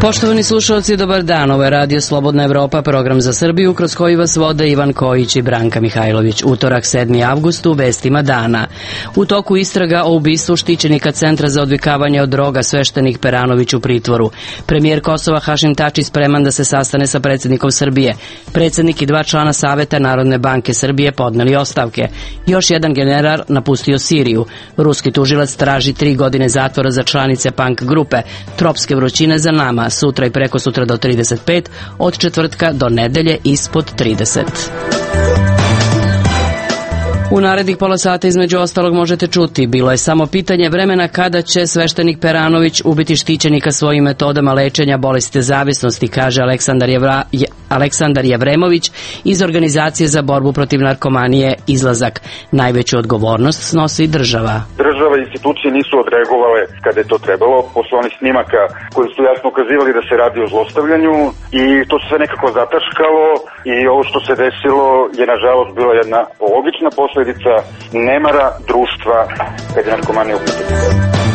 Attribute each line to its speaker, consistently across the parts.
Speaker 1: Poštovani slušalci, dobar dan. Ovo je Radio Slobodna Evropa, program za Srbiju, kroz koji vas vode Ivan Kojić i Branka Mihajlović. Utorak, 7. avgust, u vestima dana. U toku istraga o ubistvu štićenika Centra za odvikavanje od droga sveštenik Peranović u pritvoru. Premijer Kosova Hašim Tači spreman da se sastane sa predsjednikom Srbije. Predsjednik i 2 člana Saveta Narodne banke Srbije podneli ostavke. Još jedan general napustio Siriju. Ruski tužilac traži 3 godine zatvora za članice punk grupe. Tropske vrućine za nama. Sutra i preko sutra do 35, od četvrtka do nedelje ispod 30. U narednih pola sata između ostalog možete čuti: bilo je samo pitanje vremena kada će sveštenik Peranović ubiti štićenika svojim metodama lečenja bolesti zavisnosti, kaže Aleksandar Jevremović iz Organizacije za borbu protiv narkomanije Izlazak. Najveću odgovornost snosi država.
Speaker 2: Država i institucije nisu odreagovale kada je to trebalo, posle onih snimaka koji su jasno ukazivali da se radi o zlostavljanju, i to se sve nekako zataškalo, i ovo što se desilo je nažalost bila jedna logična posledica nemara društva kad je narkomanija u pitanju.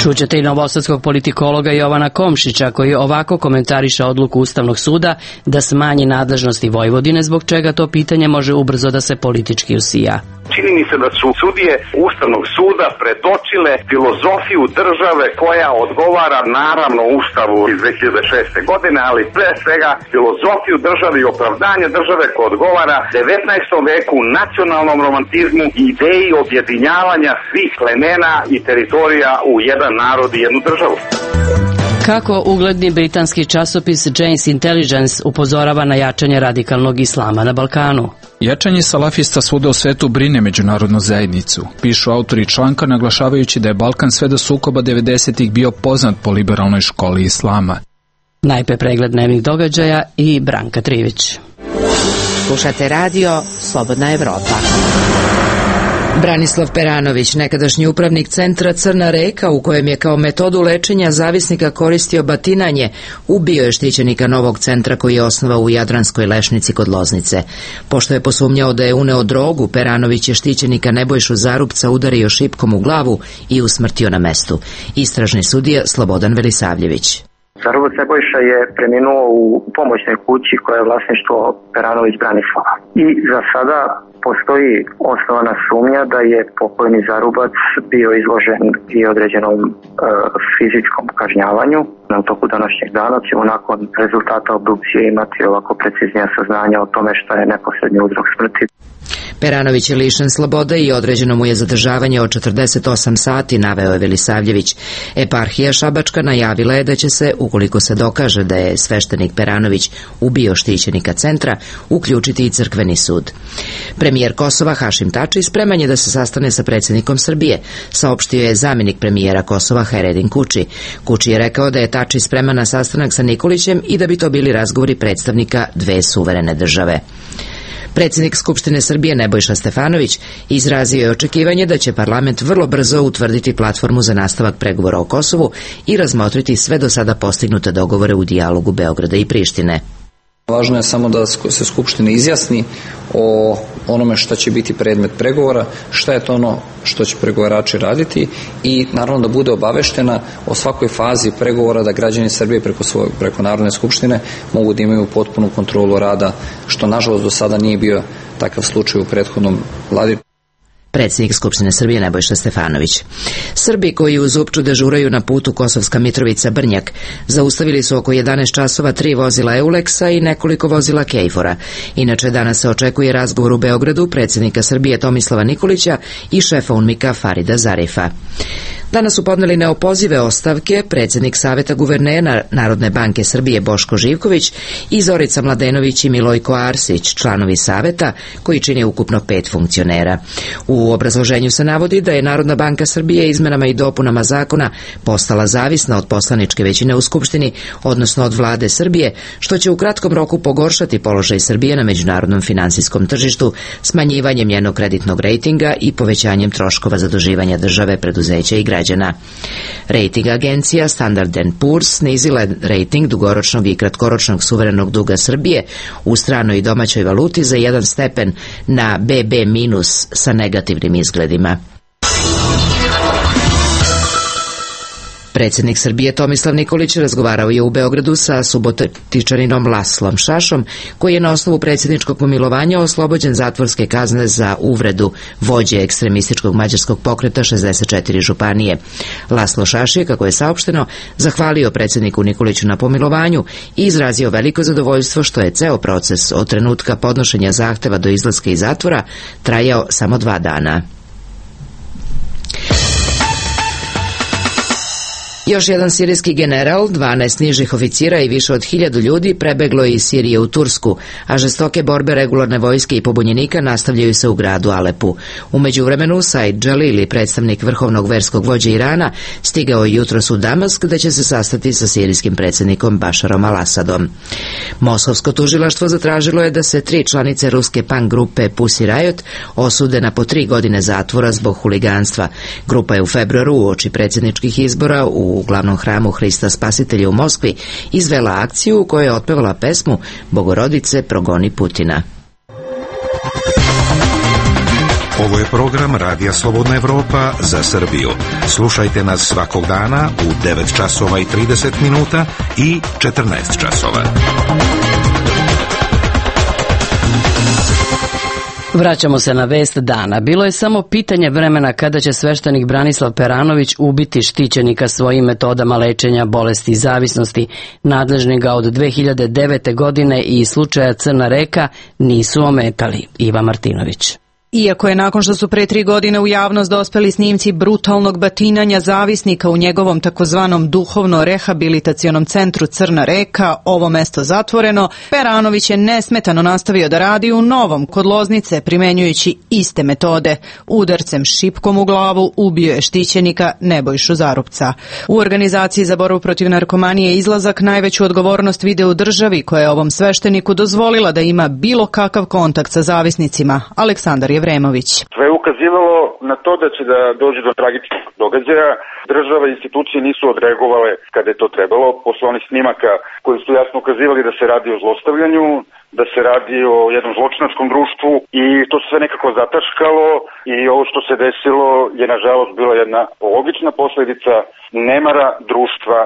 Speaker 1: Čućete i novosadskog politikologa Jovana Komšića, koji ovako komentariše odluku Ustavnog suda da smanji nadležnosti Vojvodine, zbog čega to pitanje može ubrzo da se politički usija.
Speaker 3: Čini mi se da su sudije Ustavnog suda predočile filozofiju države koja odgovara naravno Ustavu iz 2006. godine, ali pre svega filozofiju države i opravdanje države koja odgovara 19. veku, nacionalnom romantizmu i ideji objedinjavanja svih plemena i teritorija u jedan narod i jednu državu.
Speaker 1: Kako ugledni britanski časopis Jane's Intelligence upozorava na jačanje radikalnog islama na Balkanu.
Speaker 4: Jačanje salafista svuda u svetu brine međunarodnu zajednicu, pišu autori članka, naglašavajući da je Balkan sve do sukoba 90-ih bio poznat po liberalnoj školi islama.
Speaker 1: Najpre pregled dnevnih događaja i Branka Trivić.
Speaker 5: Slušate radio Slobodna Evropa. Branislav Peranović, nekadašnji upravnik centra Crna Reka, u kojem je kao metodu lečenja zavisnika koristio batinanje, ubio je štićenika novog centra koji je osnovao u Jadranskoj Lešnici kod Loznice. Pošto je posumnjao da je uneo drogu, Peranović je štićenika Nebojšu Zarupca udario šipkom u glavu i usmrtio na mestu. Istražni sudija Slobodan Velisavljević.
Speaker 6: Zarubac Nebojša je preminuo u pomoćnoj kući koja je vlasništvo Peranović Branislava. I za sada postoji osnovana sumnja da je pokojni Zarubac bio izložen i određenom fizičkom kažnjavanju. Na toku današnjeg dana ćemo nakon rezultata obdukcije imati ovako preciznija saznanja o tome šta je neposredni uzrok smrti.
Speaker 5: Peranović je lišen slobode i određeno mu je zadržavanje od 48 sati, naveo je Velisavljević. Eparhija Šabačka najavila je da će se, ukoliko se dokaže da je sveštenik Peranović ubio štićenika centra, uključiti i crkveni sud. Premijer Kosova Hašim Tači spreman je da se sastane sa predsjednikom Srbije, saopštio je zamjenik premijera Kosova Haredin Kuči. Kuči je rekao da je Tači spreman na sastanak sa Nikolićem i da bi to bili razgovori predstavnika dve suverene države. Predsjednik Skupštine Srbije Nebojša Stefanović izrazio je očekivanje da će parlament vrlo brzo utvrditi platformu za nastavak pregovora o Kosovu i razmotriti sve do sada postignute dogovore u dijalogu Beograda i Prištine.
Speaker 7: Važno je samo da se Skupština izjasni o onome šta će biti predmet pregovora, šta je to ono što će pregovarači raditi i naravno da bude obaveštena o svakoj fazi pregovora, da građani Srbije preko Narodne skupštine mogu da imaju potpunu kontrolu rada, što nažalost do sada nije bio takav slučaj u prethodnom vladi.
Speaker 5: Predsjednik Skupštine Srbije Nebojša Stefanović. Srbi koji u Zupču dežuraju na putu Kosovska Mitrovica-Brnjak zaustavili su oko 11 časova 3 vozila Euleksa i nekoliko vozila Kejfora. Inače, danas se očekuje razgovor u Beogradu predsjednika Srbije Tomislava Nikolića i šefa UNMIK-a Farida Zarifa. Danas su podneli neopozive ostavke predsjednik Saveta guvernera Narodne banke Srbije Boško Živković i Zorica Mladenović i Milojko Arsić, članovi Saveta koji čine ukupno 5 funkcionera. U obrazloženju se navodi da je Narodna banka Srbije izmenama i dopunama zakona postala zavisna od poslaničke većine u Skupštini, odnosno od vlade Srbije, što će u kratkom roku pogoršati položaj Srbije na međunarodnom finansijskom tržištu, smanjivanjem njenog kreditnog rejtinga i povećanjem troškova zaduživanja države, preduzeća i građana. Rating agencija Standard & Poor's snizila je rating dugoročnog i kratkoročnog suverenog duga Srbije u stranoj i domaćoj valuti za 1 stepen na BB- sa negativnim izgledima. Predsjednik Srbije Tomislav Nikolić razgovarao je u Beogradu sa subotičaninom Laslom Šašom, koji je na osnovu predsjedničkog pomilovanja oslobođen zatvorske kazne za uvredu vođe ekstremističkog mađarskog pokreta 64 županije. Laslo Šaš je, kako je saopšteno, zahvalio predsjedniku Nikoliću na pomilovanju i izrazio veliko zadovoljstvo što je ceo proces od trenutka podnošenja zahteva do izlaska iz zatvora trajao samo 2 dana. Još jedan sirijski general, 12 nižih oficira i više od 1000 ljudi prebeglo je iz Sirije u Tursku, a žestoke borbe regularne vojske i pobunjenika nastavljaju se u gradu Alepu. U međuvremenu, Said Džalili, predstavnik vrhovnog verskog vođe Irana, stigao je jutros u Damask, gde će se sastati sa sirijskim predsjednikom Bašarom al-Asadom. Moskovsko tužilaštvo zatražilo je da se 3 članice ruske punk grupe Pussy Riot osude na po 3 godine zatvora zbog huliganstva. Grupa je u februaru uoči predsjedničkih izbora u glavnom hramu Hrista Spasitelja u Moskvi izvela akciju u kojoj je otpevala pesmu Bogorodice progoni Putina.
Speaker 8: Ovo je program Radija Slobodna Evropa za Srbiju. Slušajte nas svakog dana u 9 časova i 30 minuta i 14 časova.
Speaker 1: Vraćamo se na vest dana. Bilo je samo pitanje vremena kada će sveštenik Branislav Peranović ubiti štićenika svojim metodama lečenja bolesti i zavisnosti. Nadležni ga od 2009. godine i slučaja Crna reka nisu ometali. Iva Martinović.
Speaker 9: Iako je nakon što su pre 3 godine u javnost dospeli snimci brutalnog batinanja zavisnika u njegovom takozvanom duhovno-rehabilitacionom centru Crna reka, ovo mesto zatvoreno, Peranović je nesmetano nastavio da radi u Novom kod Loznice, primenjujući iste metode. Udarcem šipkom u glavu ubio je štićenika Nebojšu Zarupca. U organizaciji za borbu protiv narkomanije Izlazak najveću odgovornost vide u državi, koja je ovom svešteniku dozvolila da ima bilo kakav kontakt sa zavisnicima. Aleksandar Vremović.
Speaker 2: Sve je ukazivalo na to da će da dođe do tragičnog događaja. Država i institucije nisu odreagovale kada je to trebalo. Posle onih snimaka koji su jasno ukazivali da se radi o zlostavljanju, da se radi o jednom zločinačkom društvu i to se sve nekako zataškalo i ovo što se desilo je nažalost bila jedna logična posledica nemara društva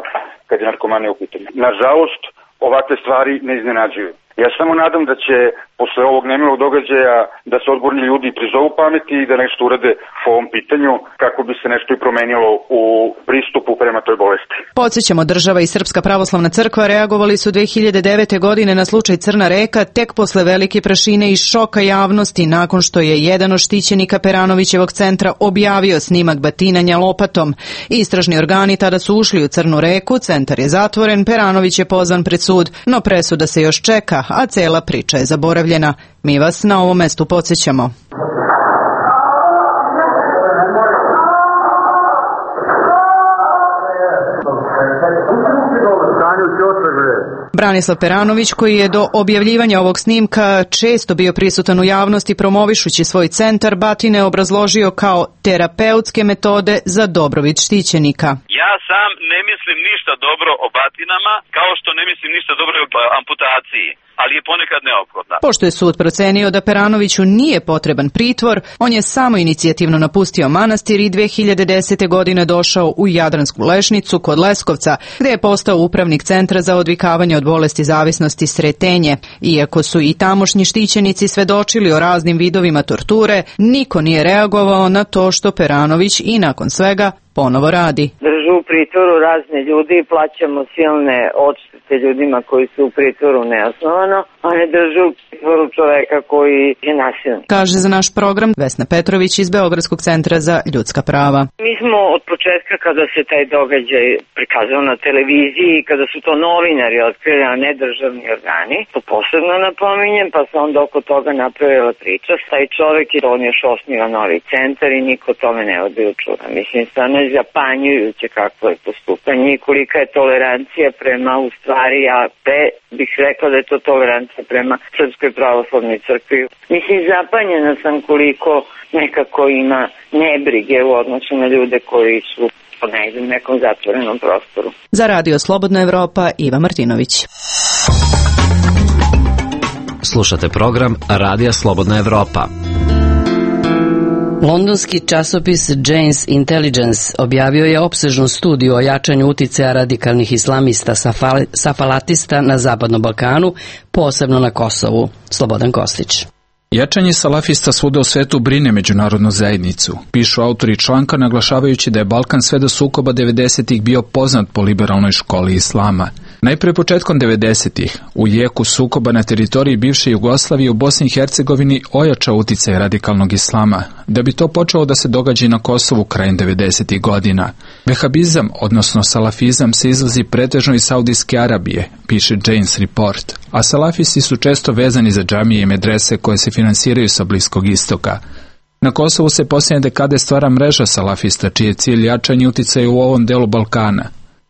Speaker 2: kad je narkomanija u pitanju. Nažalost, ovakve stvari ne iznenađuju. Ja samo nadam da će posle ovog nemilog događaja da se odgovorni ljudi prizovu pameti i da nešto urade po ovom pitanju kako bi se nešto i promenilo u pristupu prema toj bolesti.
Speaker 9: Podsjećamo, država i Srpska pravoslavna crkva reagovali su 2009. godine na slučaj Crna reka tek posle velike prašine i šoka javnosti nakon što je jedan od štićenika Peranovićevog centra objavio snimak batinanja lopatom. Istražni organi tada su ušli u Crnu reku, centar je zatvoren, Peranović je pozvan pred sud, no presuda se još čeka, a cela priča je zaboravljena. Mi vas na ovom mestu podsjećamo. Branislav Peranović, koji je do objavljivanja ovog snimka često bio prisutan u javnosti promovišući svoj centar, batine obrazložio kao terapeutske metode za dobrobit štićenika.
Speaker 10: Ja sam ne mislim ništa dobro o batinama, kao što ne mislim ništa dobro o amputaciji, ali je ponekad neophodna.
Speaker 9: Pošto je sud procenio da Peranoviću nije potreban pritvor, on je samo inicijativno napustio manastir i 2010. godine došao u Jadransku Lešnicu kod Leskovca, gde je postao upravnik centra za odvikavanje od bolesti zavisnosti Sretenje. Iako su i tamošnji štićenici svedočili o raznim vidovima torture, niko nije reagovao na to što Peranović i nakon svega ponovo radi.
Speaker 11: Držu u pritvoru razne ljudi i plaćamo silne odštete ljudima koji su u pritvoru neosnovano, a ne držu u pritvoru čoveka koji je nasilnik.
Speaker 9: Kaže za naš program Vesna Petrović iz Beogradskog centra za ljudska prava.
Speaker 11: Mi smo od početka kada se taj događaj prikazao na televiziji, kada su to novinari otkrili, a ne državni organi, to posebno napominjem, pa se onda oko toga napravila priča. Taj čovek je on još osniva novi centar i niko tome ne vodi računa. Mislim, stvarno je zapanjujuće kako je postupanje i kolika je tolerancija prema, u stvari, ja bih rekla da je to tolerancija prema Srpskoj pravoslavnoj crkvi. Mislim, zapanjena sam koliko nekako ima nebrige u odnosu na ljude koji su u nekom zatvorenom prostoru.
Speaker 9: Za Radio Slobodna Evropa, Iva Martinović.
Speaker 12: Slušate program Radija Slobodna Evropa.
Speaker 1: Londonski časopis Jane's Intelligence objavio je opsežnu studiju o jačanju uticaja radikalnih islamista safalatista na Zapadnom Balkanu, posebno na Kosovu. Slobodan Kostić.
Speaker 4: Jačanje salafista svuda u svetu brine međunarodnu zajednicu, pišu autori članka naglašavajući da je Balkan sve do sukoba 90-ih bio poznat po liberalnoj školi islama. Najpre početkom 90-ih, u jeku sukoba na teritoriji bivše Jugoslavije u Bosni i Hercegovini ojačao uticaj radikalnog islama, da bi to počelo da se događa i na Kosovu krajem 90-ih godina. Vehabizam, odnosno salafizam, se izlazi pretežno iz Saudijske Arabije, piše Jane's Report, a salafisti su često vezani za džamije i medrese koje se finansiraju sa Bliskog istoka. Na Kosovu se posljednje dekade stvara mreža salafista, čiji je cilj jačanje uticaja u ovom delu Balkana.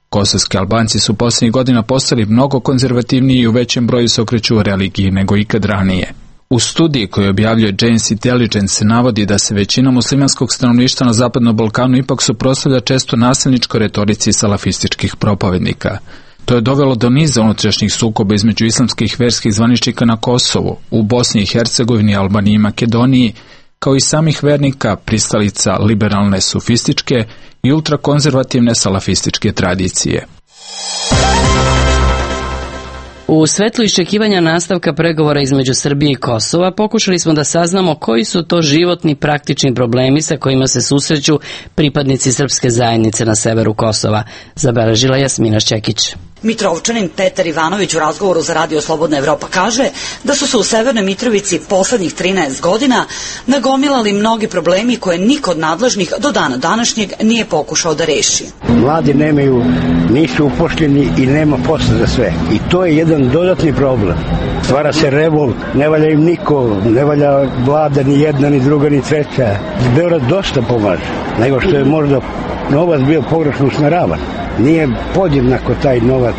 Speaker 4: Kosovski Albanci su posljednjih godina postali mnogo konzervativniji i u većem broju se okreću religiji nego ikad ranije. U studiji koju objavljuje Jane's Intelligence se navodi da se većina muslimanskog stanovništva na Zapadnom Balkanu ipak suprotstavlja često nasilničkoj retorici salafističkih propovednika. To je dovelo do niza unutrašnjih sukoba između islamskih verskih zvaničnika na Kosovu, u Bosni i Hercegovini, Albaniji i Makedoniji, kao i samih vernika, pristalica liberalne sufističke i ultrakonzervativne salafističke tradicije.
Speaker 1: U svetlu iščekivanja nastavka pregovora između Srbije i Kosova pokušali smo da saznamo koji su to životni praktični problemi sa kojima se susreću pripadnici srpske zajednice na severu Kosova, zabeležila Jasmina Šćekić.
Speaker 12: Mitrovčanin Petar Ivanović u razgovoru za Radio Slobodna Evropa kaže da su se u Severnoj Mitrovici poslednjih 13 godina nagomilali mnogi problemi koje niko od nadležnih do dana današnjeg nije pokušao da reši.
Speaker 13: Mladi nisu upošljeni i nema posla za sve. I to je jedan dodatni problem. Stvara se revolt, ne valja im niko, ne valja vlada ni jedna, ni druga, ni treća. Beograd dosta pomaže, nego što je možda novac bio pogrešno usmeravan. Nije podjednako taj novac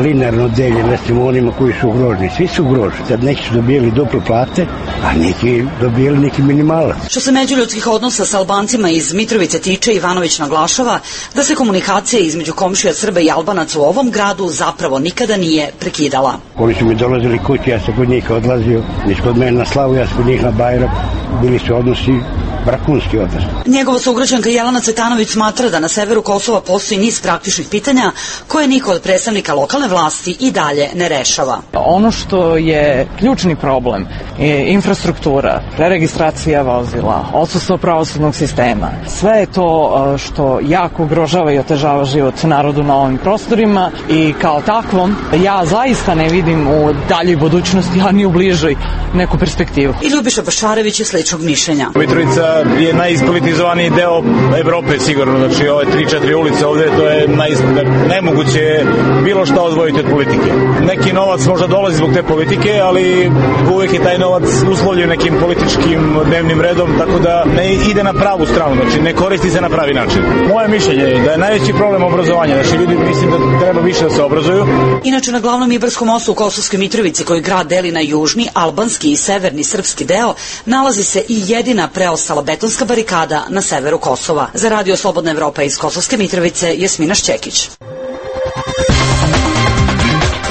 Speaker 13: linearno deljen, recimo onima koji su ugroženi. Svi su ugroženi. Sad neki su dobijeli duple plate, a neki dobijeli neki minimalac.
Speaker 12: Što se međuljudskih odnosa sa Albancima iz Mitrovice tiče, Ivanović naglašava da se komunikacija između komšija Srba i Albanaca u ovom gradu zapravo nikada nije prekidala.
Speaker 13: Oni su mi dolazili kući, ja sam kod njih odlazio, niš kod mene na slavu, ja sam kod njih na Bajrak, bili su odnosi brakunski odnos.
Speaker 12: Njegova sugrađanka Jelena Cvetanović smatra da na severu Kosova postoji niz praktičnih pitanja koje niko od predstavnika lokalne vlasti i dalje ne rešava.
Speaker 14: Ono što je ključni problem je infrastruktura, preregistracija vozila, odsustvo pravosudnog sistema. Sve je to što jako ugrožava i otežava život narodu na ovim prostorima i kao takvom ja zaista ne vidim u daljoj budućnosti, a ni u bližoj neku perspektivu.
Speaker 12: I Ljubiša Bašarević je sličnog mišljenja.
Speaker 15: Mitrovica je najispolitizovaniji deo Evrope sigurno, znači ove 3-4 ulice ovde, to je nemoguće bilo šta odvojiti od politike. Neki novac možda dolazi zbog te politike, ali uvek je taj novac uslovljen nekim političkim dnevnim redom, tako da ne ide na pravu stranu, znači ne koristi se na pravi način. Moje mišljenje je da je najveći problem obrazovanja, znači ljudi mislim da treba više da se obrazuju.
Speaker 12: Inače na glavnom Ibarskom mostu u Kosovskoj Mitrovici, koji grad deli na južni, albanski i severni srpski deo, nalazi se i jedina preostala betonska barikada na severu Kosova. Za Radio Slobodna Evropa iz Kosovske Mitrovice, Jasmina Šćekić.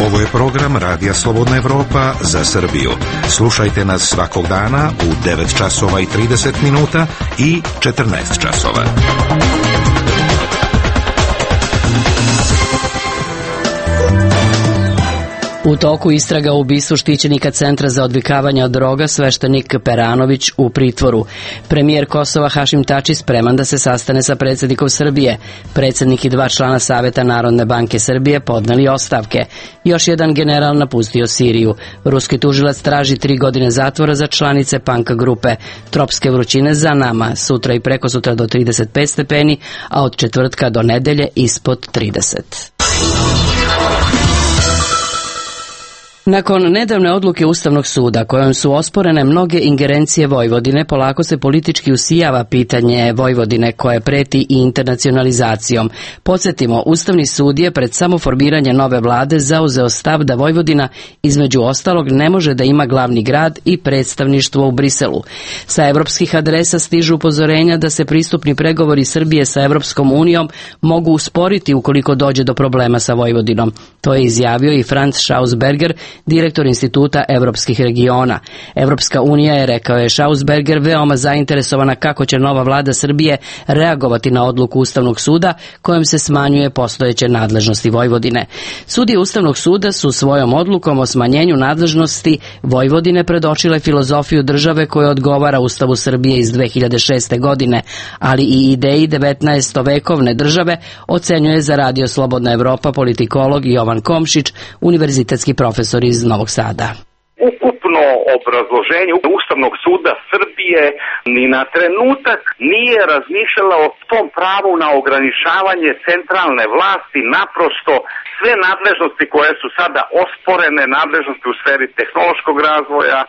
Speaker 8: Ovo je program Radija Slobodna Evropa za Srbiju. Slušajte nas svakog dana u 9 časova i 30 minuta i 14 časova.
Speaker 1: U toku istraga o ubistvu štićenika Centra za odvikavanje od droga, sveštenik Peranović u pritvoru. Premijer Kosova Hašim Tači spreman da se sastane sa predsjednikom Srbije. Predsjednik i 2 člana Saveta Narodne banke Srbije podneli ostavke. Još jedan general napustio Siriju. Ruski tužilac traži 3 godine zatvora za članice Panka grupe. Tropske vrućine za nama, sutra i prekosutra do 35 stepeni, a od četvrtka do nedelje ispod 30. Nakon nedavne odluke Ustavnog suda kojom su osporene mnoge ingerencije Vojvodine, polako se politički usijava pitanje Vojvodine koje preti i internacionalizacijom. Podsjetimo, Ustavni sud je pred samo formiranje nove vlade zauzeo stav da Vojvodina između ostalog ne može da ima glavni grad i predstavništvo u Briselu. Sa evropskih adresa stižu upozorenja da se pristupni pregovori Srbije sa Evropskom unijom mogu usporiti ukoliko dođe do problema sa Vojvodinom. To je izjavio i Franz Schausberger, direktor Instituta evropskih regiona. Evropska unija je, rekao je Schausberger, veoma zainteresovana kako će nova vlada Srbije reagovati na odluku Ustavnog suda kojom se smanjuje postojeće nadležnosti Vojvodine. Sudije Ustavnog suda su svojom odlukom o smanjenju nadležnosti Vojvodine predočile filozofiju države koja odgovara Ustavu Srbije iz 2006. godine, ali i ideji 19-vekovne države, ocenjuje za Radio Slobodna Evropa politikolog Jovan Komšić, univerzitetski profesor iz Novog Sada.
Speaker 3: Ukupno obrazloženje Ustavnog suda Srbije ni na trenutak nije razmišljala o tom pravu na ograničavanje centralne vlasti, naprosto sve nadležnosti koje su sada osporene, nadležnosti u sferi tehnološkog razvoja,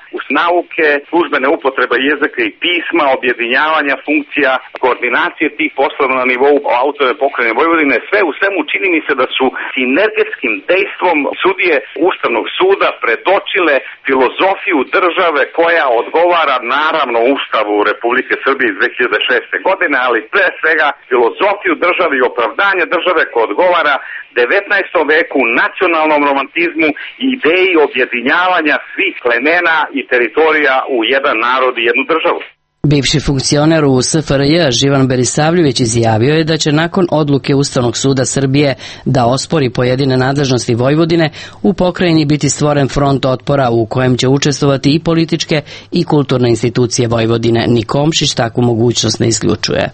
Speaker 3: nauke, službene upotrebe jezika i pisma, objedinjavanja funkcija, koordinacije tih poslova na nivou autonomne pokrajine Vojvodine, sve u svemu čini mi se da su sinergetskim dejstvom sudije Ustavnog suda predočile filozofiju države koja odgovara naravno Ustavu Republike Srbije iz 2006. godine, ali pre svega filozofiju države i opravdanje države koja odgovara 19. veku, nacionalnom romantizmu i ideji objedinjavanja svih plemena i teritorija u jedan narod i jednu državu.
Speaker 1: Bivši funkcioner u SFRJ Živan Berisavljević izjavio je da će nakon odluke Ustavnog suda Srbije da ospori pojedine nadležnosti Vojvodine u pokrajini biti stvoren front otpora u kojem će učestvovati i političke i kulturne institucije Vojvodine. Ni Komšić takvu mogućnost ne isključuje.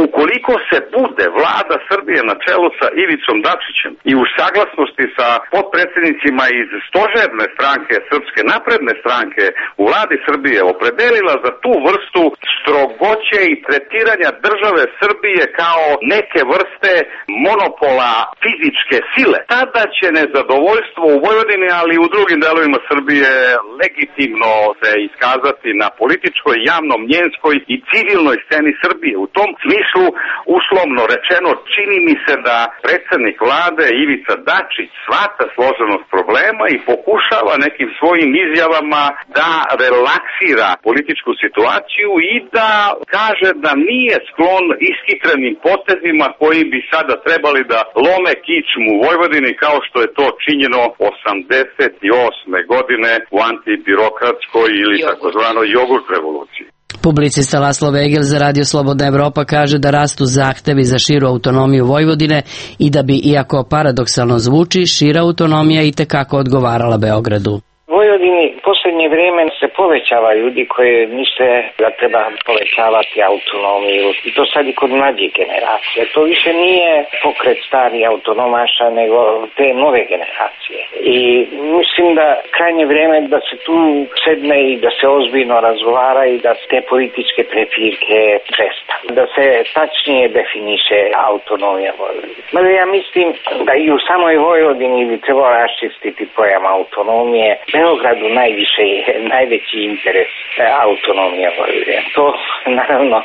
Speaker 3: Ukoliko se bude vlada Srbije na čelu sa Ivicom Dačićem i u saglasnosti sa potpredsjednicima iz stožerne stranke Srpske napredne stranke u vladi Srbije opredelila za tu vrstu strogoće i tretiranja države Srbije kao neke vrste monopola fizičke sile, tada će nezadovoljstvo u Vojvodini, ali i u drugim delovima Srbije legitimno se iskazati na političkoj, javno-mnjenskoj i civilnoj sceni Srbije. U tom smislu, uslovno rečeno, čini mi se da predsjednik vlade Ivica Dačić shvata složenost problema i pokušava nekim svojim izjavama da relaksira političku situaciju i da kaže da nije sklon ishitrenim potezima koji bi sada trebali da lome kičmu u Vojvodini kao što je to činjeno 88. godine u antibirokratskoj ili takozvanoj jogurt revoluciji.
Speaker 1: Publicista Laslo Vegel za Radio Slobodna Evropa kaže da rastu zahtevi za širu autonomiju Vojvodine i da bi, iako paradoksalno zvuči, šira autonomija i tekako odgovarala Beogradu.
Speaker 16: Vojvodini posljednje vrijeme se povećava ljudi koji misle da treba povećavati autonomiju i to sad i kod mlađih generacije. To više nije pokret stari autonomaša nego te nove generacije. I mislim da krajnje vrijeme da se tu sedne i da se ozbiljno razgovara i da te političke prepirke prestanu. Da se tačnije definiše autonomija Vojvodine. Mada ja mislim da i u samoj Vojvodini bi trebalo raščistiti pojam autonomije. Beogradu najveći interes autonomija Vojvodine. To naravno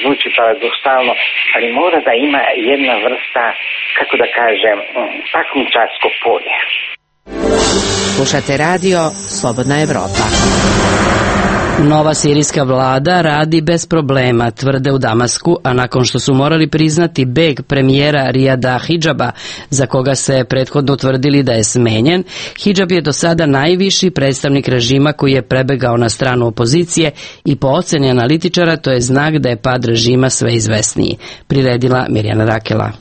Speaker 16: zvuči paradoksalno, ali mora da ima jedna vrsta, kako da kažem, takmičarsko polje.
Speaker 5: Slušate radio Slobodna Evropa.
Speaker 1: Nova sirijska vlada radi bez problema, tvrde u Damasku, a nakon što su morali priznati beg premijera Rijada Hidžaba, za koga se prethodno tvrdili da je smenjen, Hidžab je do sada najviši predstavnik režima koji je prebegao na stranu opozicije i po oceni analitičara to je znak da je pad režima sve izvesniji. Priredila Mirjana Rakela.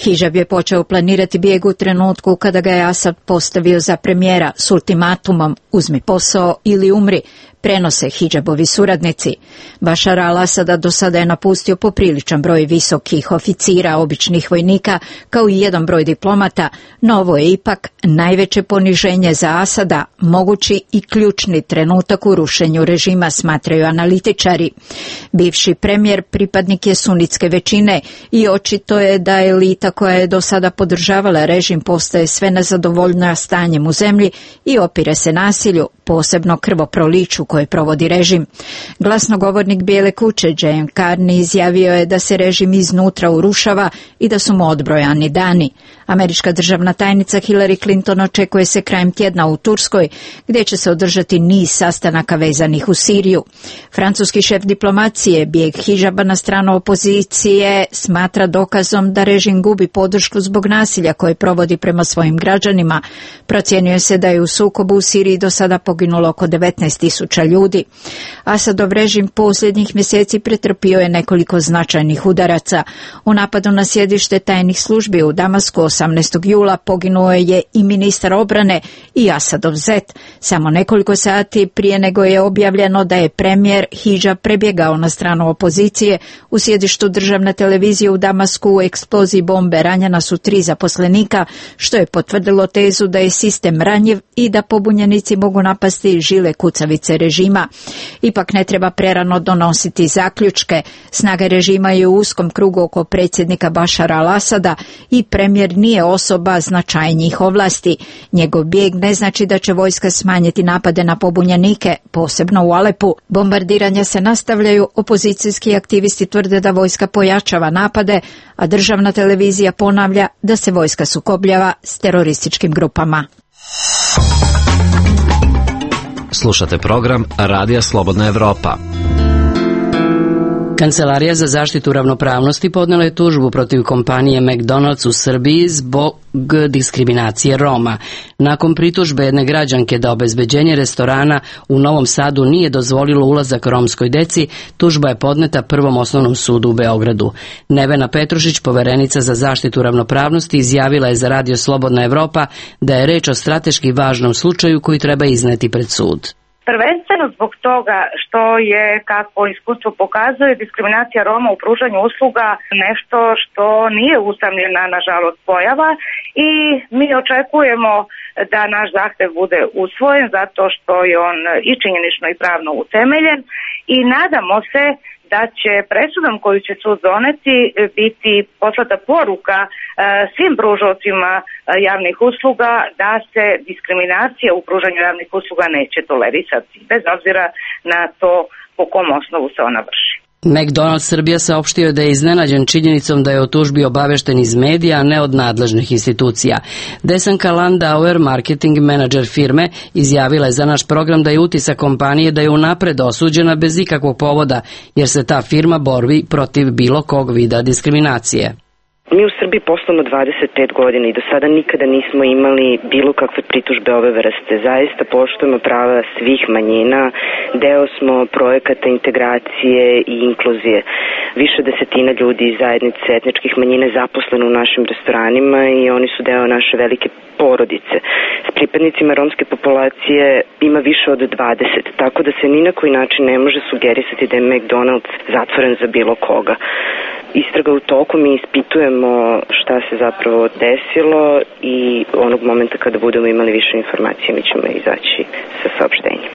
Speaker 17: Hidžab je počeo planirati bijeg u trenutku kada ga je Asad postavio za premijera s ultimatumom uzmi posao ili umri, prenose Hidžabovi suradnici. Bašar al-Asada do sada je napustio popriličan broj visokih oficira, običnih vojnika, kao i jedan broj diplomata, no ovo je ipak najveće poniženje za Asada, mogući i ključni trenutak u rušenju režima, smatraju analitičari. Bivši premijer pripadnik je sunitske većine i očito je da elita koja je do sada podržavala režim postaje sve nezadovoljna stanjem u zemlji i opire se nasilju, posebno krvoproliću koje provodi režim. Glasnogovornik Bijele kuće Jane Carney izjavio je da se režim iznutra urušava i da su mu odbrojani dani. Američka državna tajnica Hillary Clinton očekuje se krajem tjedna u Turskoj, gdje će se održati niz sastanaka vezanih u Siriju. Francuski šef diplomacije bijeg hidžaba na stranu opozicije smatra dokazom da režim gubi podršku zbog nasilja koje provodi prema svojim građanima. Procjenjuje se da je u sukobu u Siriji do sada poginulo oko 19.000 ljudi. Asadov režim posljednjih mjeseci pretrpio je nekoliko značajnih udaraca. U napadu na sjedište tajnih službi u Damasku 18. jula poginuo je i ministar obrane i Asadov zet. Samo nekoliko sati prije nego je objavljeno da je premijer Hidžab prebjegao na stranu opozicije, u sjedištu državne televizije u Damasku u eksploziji bombe ranjena su 3 zaposlenika, što je potvrdilo tezu da je sistem ranjiv i da pobunjenici mogu napasti žile kucavice režima. Ipak ne treba prerano donositi zaključke. Snage režima je u uskom krugu oko predsjednika Bašara al-Asada i premijer nije osoba značajnijih ovlasti. Njegov bijeg ne znači da će vojska smanjiti napade na pobunjenike, posebno u Alepu. Bombardiranja se nastavljaju, opozicijski aktivisti tvrde da vojska pojačava napade, a državna televizija ponavlja da se vojska sukobljava s terorističkim grupama.
Speaker 18: Slušate program Radija Slobodna Evropa.
Speaker 1: Kancelarija za zaštitu ravnopravnosti podnela je tužbu protiv kompanije McDonald's u Srbiji zbog diskriminacije Roma. Nakon pritužbe jedne građanke da obezbeđenje restorana u Novom Sadu nije dozvolilo ulazak romskoj deci, tužba je podneta Prvom osnovnom sudu u Beogradu. Nevena Petrušić, poverenica za zaštitu ravnopravnosti, izjavila je za Radio Slobodna Evropa da je reč o strateški važnom slučaju koji treba izneti pred sud.
Speaker 19: Prvenstveno zbog toga što je, kako iskustvo pokazuje, diskriminacija Roma u pružanju usluga nešto što nije usamljena, nažalost, pojava i mi očekujemo da naš zahtev bude usvojen zato što je on i činjenično i pravno utemeljen i nadamo se da će presudom koju će sud doneti biti poslata poruka svim pružaocima javnih usluga da se diskriminacija u pružanju javnih usluga neće tolerisati, bez obzira na to po kom osnovu se ona vrši.
Speaker 1: McDonald's Srbija saopštio je da je iznenađen činjenicom da je o tužbi obavešten iz medija, a ne od nadležnih institucija. Desanka Landauer, marketing menadžer firme, izjavila je za naš program da je utisak kompanije da je unapred osuđena bez ikakvog povoda, jer se ta firma bori protiv bilo kog vida diskriminacije.
Speaker 20: Mi u Srbiji poslujemo 25 godina i do sada nikada nismo imali bilo kakve pritužbe ove vrste. Zaista poštujemo prava svih manjina, deo smo projekata integracije i inkluzije. Više desetina ljudi iz zajednice etničkih manjina je zaposleno u našim restoranima i oni su deo naše velike porodice. S pripadnicima romske populacije ima više od 20, tako da se ni na koji način ne može sugerisati da je McDonald's zatvoren za bilo koga. Istraga u toku, mi ispitujemo šta se zapravo desilo i onog momenta kada budemo imali više informacije mi ćemo izaći sa saopštenjem.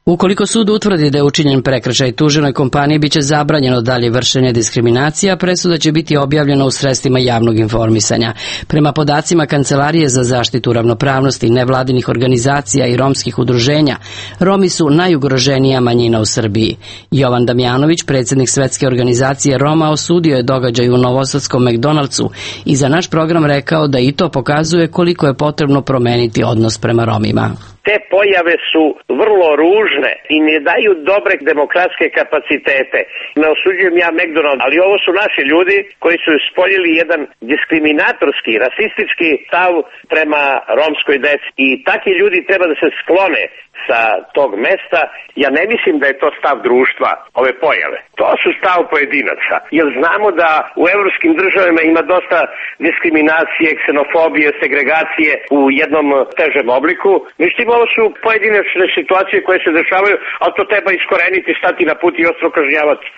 Speaker 1: Ukoliko sud utvrdi da je učinjen prekršaj tuženoj kompaniji, biće zabranjeno dalje vršenje diskriminacije, a presuda će biti objavljena u sredstvima javnog informisanja. Prema podacima Kancelarije za zaštitu ravnopravnosti, nevladinih organizacija i romskih udruženja, Romi su najugroženija manjina u Srbiji. Jovan Damjanović, predsjednik Svetske organizacije Roma, osudio je događaj u novosadskom McDonald'su i za naš program rekao da i to pokazuje koliko je potrebno promeniti odnos prema Romima.
Speaker 21: Te pojave su vrlo ružne i ne daju dobre demokratske kapacitete. Ne osuđujem ja McDonald's, ali ovo su naši ljudi koji su ispoljili jedan diskriminatorski, rasistički stav prema romskoj deci. I takvi ljudi treba da se sklone sa tog mesta. Ja ne mislim da je to stav društva, ove pojave. To su stav pojedinaca. Jer znamo da u evropskim državama ima dosta diskriminacije, ksenofobije, segregacije u jednom težem obliku. Međutim, ovo su pojedinačne situacije koje se dešavaju, ali to treba iskoreniti, stati na put i ostro kažnjavati.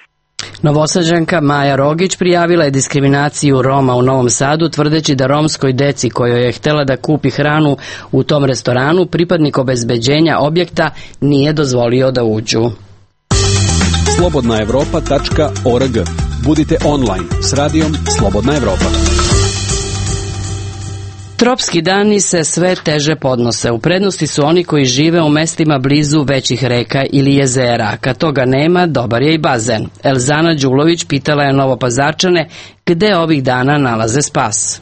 Speaker 1: Novosađanka Maja Rogić prijavila je diskriminaciju Roma u Novom Sadu, tvrdeći da romskoj deci kojoj je htjela da kupi hranu u tom restoranu, pripadnik obezbeđenja objekta nije dozvolio da uđu.
Speaker 22: slobodnaevropa.org. Budite online s radijom Slobodna Evropa.
Speaker 1: Tropski dani se sve teže podnose. U prednosti su oni koji žive u mestima blizu većih reka ili jezera. Kad toga nema, dobar je i bazen. Elzana Đulović pitala je Novopazarčane gde ovih dana nalaze spas.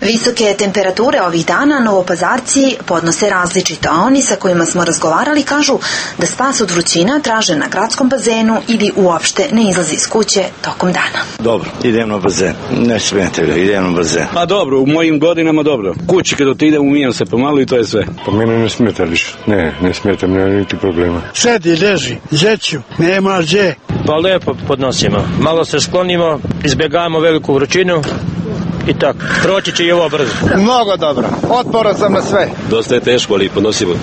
Speaker 6: Visoke temperature ovih dana Novopazarci podnose različito, a oni sa kojima smo razgovarali kažu da spas od vrućina traže na gradskom bazenu ili uopšte ne izlazi iz kuće tokom dana.
Speaker 22: Dobro, idem na bazen. Ne smijete ga, idem na bazen.
Speaker 23: Pa dobro, u mojim godinama dobro. Kući kad idem umijam se pomalo i to je sve.
Speaker 24: Pa mene ne smeta više. Ne smeta, nema niti problema.
Speaker 25: Sedi, leži, žeću, nema gdje.
Speaker 26: Pa lepo podnosimo. Malo se sklonimo, izbjegavamo veliku vrućinu. I tako, proći će i ovo brzo.
Speaker 25: Mnogo dobro, otporan sam na sve.
Speaker 23: Dosta je teško, ali podnosimo.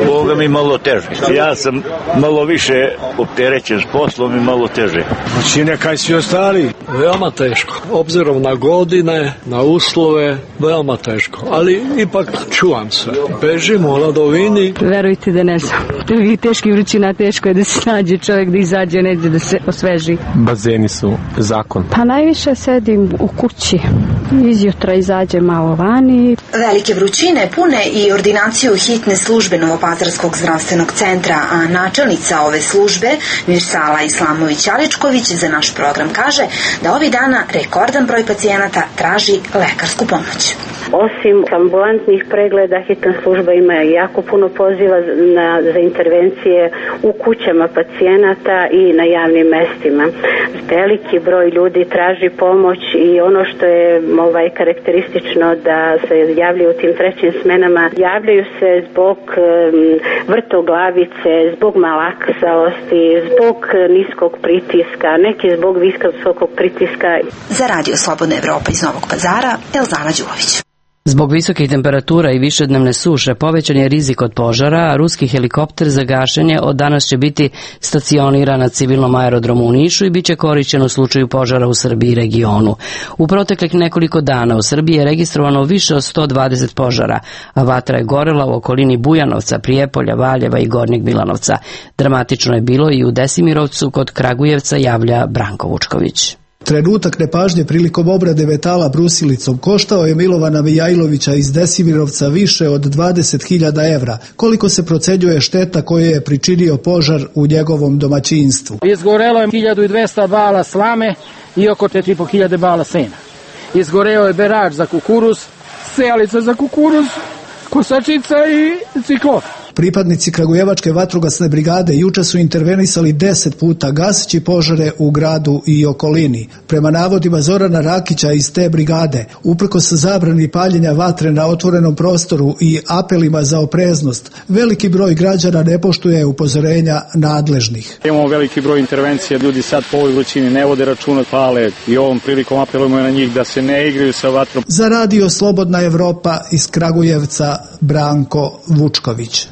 Speaker 22: Boga mi malo teže. Ja sam malo više opterećen s poslom i malo teže.
Speaker 25: Znači nekaj svi ostali?
Speaker 27: Veoma teško. Obzirom na godine, na uslove, veoma teško. Ali ipak čuvam se. Bežimo o ladovini.
Speaker 28: Verujte da ne znam. I teški vrućina, teško je da se nađe čovjek, da izađe neđe, da se osveži.
Speaker 29: Bazeni su zakon.
Speaker 28: Pa najviše sedim u kući. Izjutra izađe malo vani.
Speaker 6: Velike vrućine pune i ordinaciju hitne službe Novopazarskog zdravstvenog centra, a načelnica ove službe, Mirsala Islamović-Aličković, za naš program kaže da ovih dana rekordan broj pacijenata traži lekarsku pomoć.
Speaker 28: Osim ambulantnih pregleda, hitna služba ima jako puno poziva za intervencije u kućama pacijenata i na javnim mestima. Veliki broj ljudi traži pomoć i ono što je karakteristično da se javljaju u tim trećim smenama, javljaju se zbog vrtoglavice, zbog malaksalosti, zbog niskog pritiska, neki zbog visokog pritiska.
Speaker 6: Za Radio Slobodna Evropa iz Novog Pazara, Elzana Đulović.
Speaker 1: Zbog visokih temperatura i višednevne suše povećan je rizik od požara, a ruski helikopter za gašenje od danas će biti stacioniran na civilnom aerodromu u Nišu i bit će korišćen u slučaju požara u Srbiji i regionu. U proteklih nekoliko dana u Srbiji je registrovano više od 120 požara, a vatra je gorela u okolini Bujanovca, Prijepolja, Valjeva i Gornjeg Milanovca. Dramatično je bilo i u Desimirovcu kod Kragujevca, javlja Branko Vučković.
Speaker 30: Trenutak nepažnje prilikom obrade metala brusilicom koštao je Milovana Mijajlovića iz Desimirovca više od 20.000 evra. Koliko se procenjuje šteta koju je pričinio požar u njegovom domaćinstvu?
Speaker 31: Izgorelo je 1200 bala slame i oko 4.500 bala sena. Izgoreo je berač za kukuruz, sejalica za kukuruz, kosačica i ciklon.
Speaker 30: Pripadnici Kragujevačke vatrogasne brigade juče su intervenisali 10 puta gaseći požare u gradu i okolini. Prema navodima Zorana Rakića iz te brigade, uprkos zabrani paljenja vatre na otvorenom prostoru i apelima za opreznost, veliki broj građana ne poštuje upozorenja nadležnih.
Speaker 31: Imamo veliki broj intervencija, ljudi sad po ovoj vrućini ne vode računa, pale i ovom prilikom apelujemo na njih da se ne igraju sa vatrom.
Speaker 30: Za Radio Slobodna Evropa iz Kragujevca, Branko Vučković.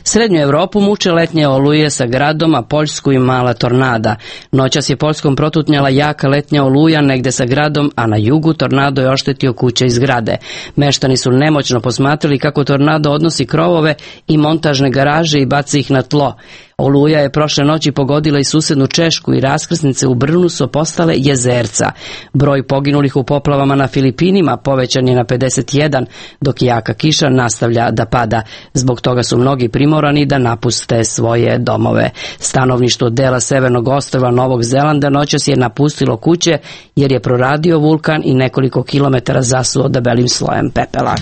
Speaker 1: Srednju Evropu muče letnje oluje sa gradom, a Poljsku i mala tornada. Noćas je Poljskom protutnjala jaka letnja oluja negde sa gradom, a na jugu tornado je oštetio kuće i zgrade. Meštani su nemoćno posmatrali kako tornado odnosi krovove i montažne garaže i baci ih na tlo. Oluja je prošle noći pogodila i susednu Češku i raskrsnice u Brnu su postale jezerca. Broj poginulih u poplavama na Filipinima povećan je na 51, dok jaka kiša nastavlja da pada. Zbog toga su mnogi primorani da napuste svoje domove. Stanovništvo dela severnog ostrva Novog Zelanda noćas je napustilo kuće jer je proradio vulkan i nekoliko kilometara zasuo debelim slojem pepela.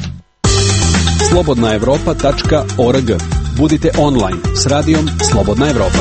Speaker 32: slobodnaevropa.org. Budite online s radijom Slobodna Evropa.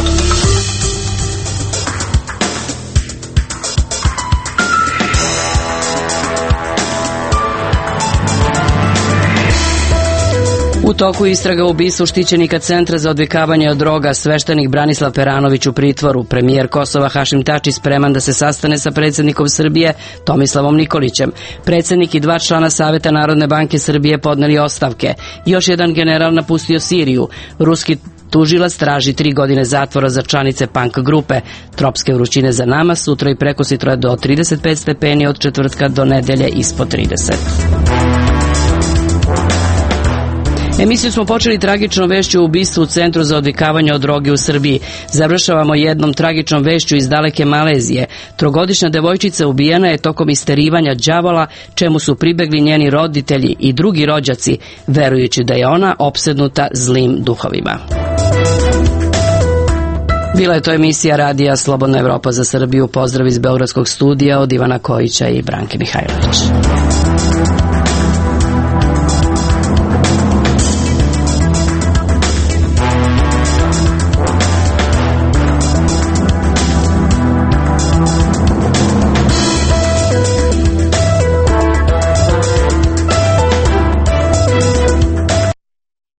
Speaker 1: U toku istraga o ubistvu štićenika Centra za odvikavanje od droga, sveštenik Branislav Peranović u pritvoru. Premijer Kosova Hašim Tači spreman da se sastane sa predsjednikom Srbije Tomislavom Nikolićem. Predsjednik i 2 člana Saveta Narodne banke Srbije podneli ostavke. Još jedan general napustio Siriju. Ruski tužilac traži 3 godine zatvora za članice punk grupe. Tropske vrućine za nama, sutra i prekosutra je do 35 stepeni, od četvrtka do nedelje ispod 30. Emisiju smo počeli tragičnom vešću o ubistvu u Centru za odvikavanje od droge u Srbiji. Završavamo jednom tragičnom vešću iz daleke Malezije. Trogodišnja devojčica ubijena je tokom isterivanja đavola, čemu su pribegli njeni roditelji i drugi rođaci, verujući da je ona opsednuta zlim duhovima. Bila je to emisija Radija Slobodna Evropa za Srbiju. Pozdrav iz Beogradskog studija od Ivana Kojića i Branke Mihajlović.